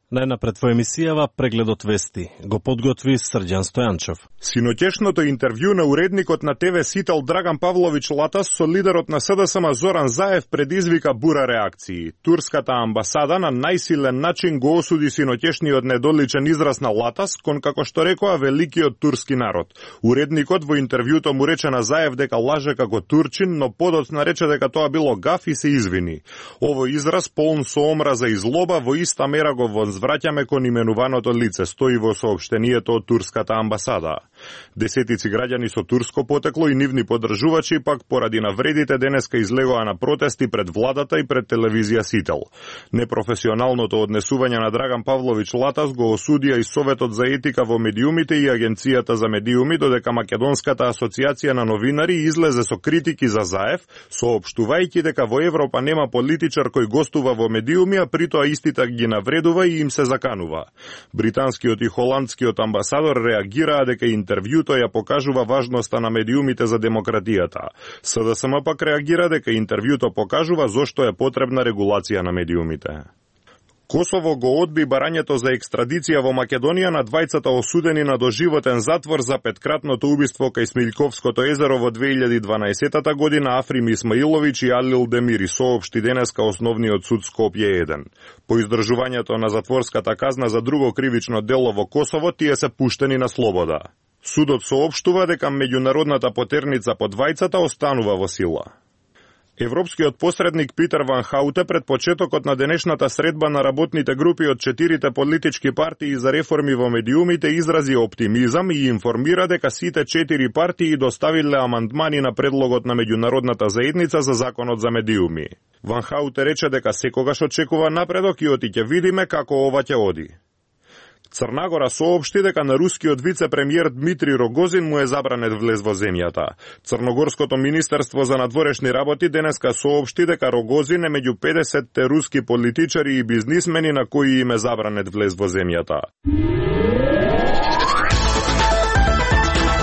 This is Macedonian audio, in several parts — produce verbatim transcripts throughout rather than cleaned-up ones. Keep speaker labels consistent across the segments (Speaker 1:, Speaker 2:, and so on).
Speaker 1: Најнапред во емисијава прегледот вести го подготви Срđan Стојанчов.
Speaker 2: Синоќешното интервју на уредникот на ТВ Сител Драган Павлович Латас со лидерот на СДСМ Зоран Заев предизвика бура реакции. Турската амбасада на најсилен начин го осуди синоќешниот недоличен израз на Латас кон, како што рекоа, великиот турски народ. Уредникот во интервјуто му рече на Заев дека лаже како турчин, но подоцна рече дека тоа било гаф и се извини. Овој израз полн со омраза и злоба во иста мера го возвраќаме кон именуваното лице, стои во соопштението од турската амбасада. Десетици граѓани со турско потекло и нивни поддржувачи пак поради навредите денеска излегоа на протести пред владата и пред телевизија Сител. Непрофесионалното однесување на Драган Павлович Латас го осудија и Советот за етика во медиумите и Агенцијата за медиуми, додека Македонската асоциација на новинари излезе со критики за Заев, соопштувајќи дека во Европа нема политичар кој гостува во медиуми, а притоа истите ги навредува и им се заканува. Британскиот и холандскиот амбасадор реагираа дека интервјуто ја покажува важноста на медиумите за демократијата. СДСМ пак реагира дека интервјуто покажува зошто е потребна регулација на медиумите. Косово го одби барањето за екстрадиција во Македонија на двајцата осудени на доживотен затвор за петкратното убиство кај Смилјковското езеро во две илјади и дванаесета година Африм Исмаиловиќ и Алил Демири, соопшти денеска Основниот суд Скопје еден. По издржувањето на затворската казна за друго кривично дело во Косово, тие се пуштени на слобода. Судот соопштува дека меѓународната потерница по двајцата останува во сила. Европскиот посредник Питер Ван Хауте пред почетокот на денешната средба на работните групи од четирите политички партии за реформи во медиумите изрази оптимизам и информира дека сите четири партии доставиле амандмани на предлогот на меѓународната заедница за законот за медиуми. Ван Хауте рече дека секогаш очекува напредок и оти ќе видиме како ова ќе оди. Црна Гора соопшти дека на рускиот вице-премиер Дмитрий Рогозин му е забранет влез во земјата. Црногорското министерство за надворешни работи денеска соопшти дека Рогозин е меѓу педесетте руски политичари и бизнисмени на кои им е забранет влез во земјата.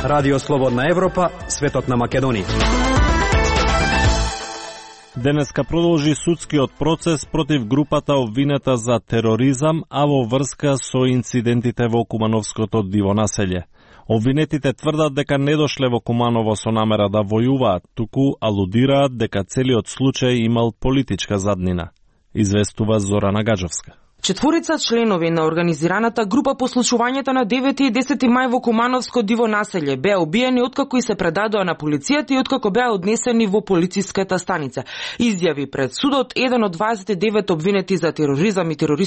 Speaker 3: Радио Слободна Европа, светот на Македонија.
Speaker 1: Денеска продолжи судскиот процес против групата обвинета за тероризам, а во врска со инцидентите во Кумановското диво населје. Обвинетите тврдат дека не дошле во Куманово со намера да војуваат, туку алудираат дека целиот случај имал политичка заднина. Известува Зорана Гаджовска.
Speaker 4: Четворица членови на организираната група по случувањето на девети и десети мај во Кумановско диво населје беа убиени откако и се предадоа на полицијата и откако беа однесени во полициската станица. Изјави пред судот еден од дваесет и девет обвинети за тероризам и терористички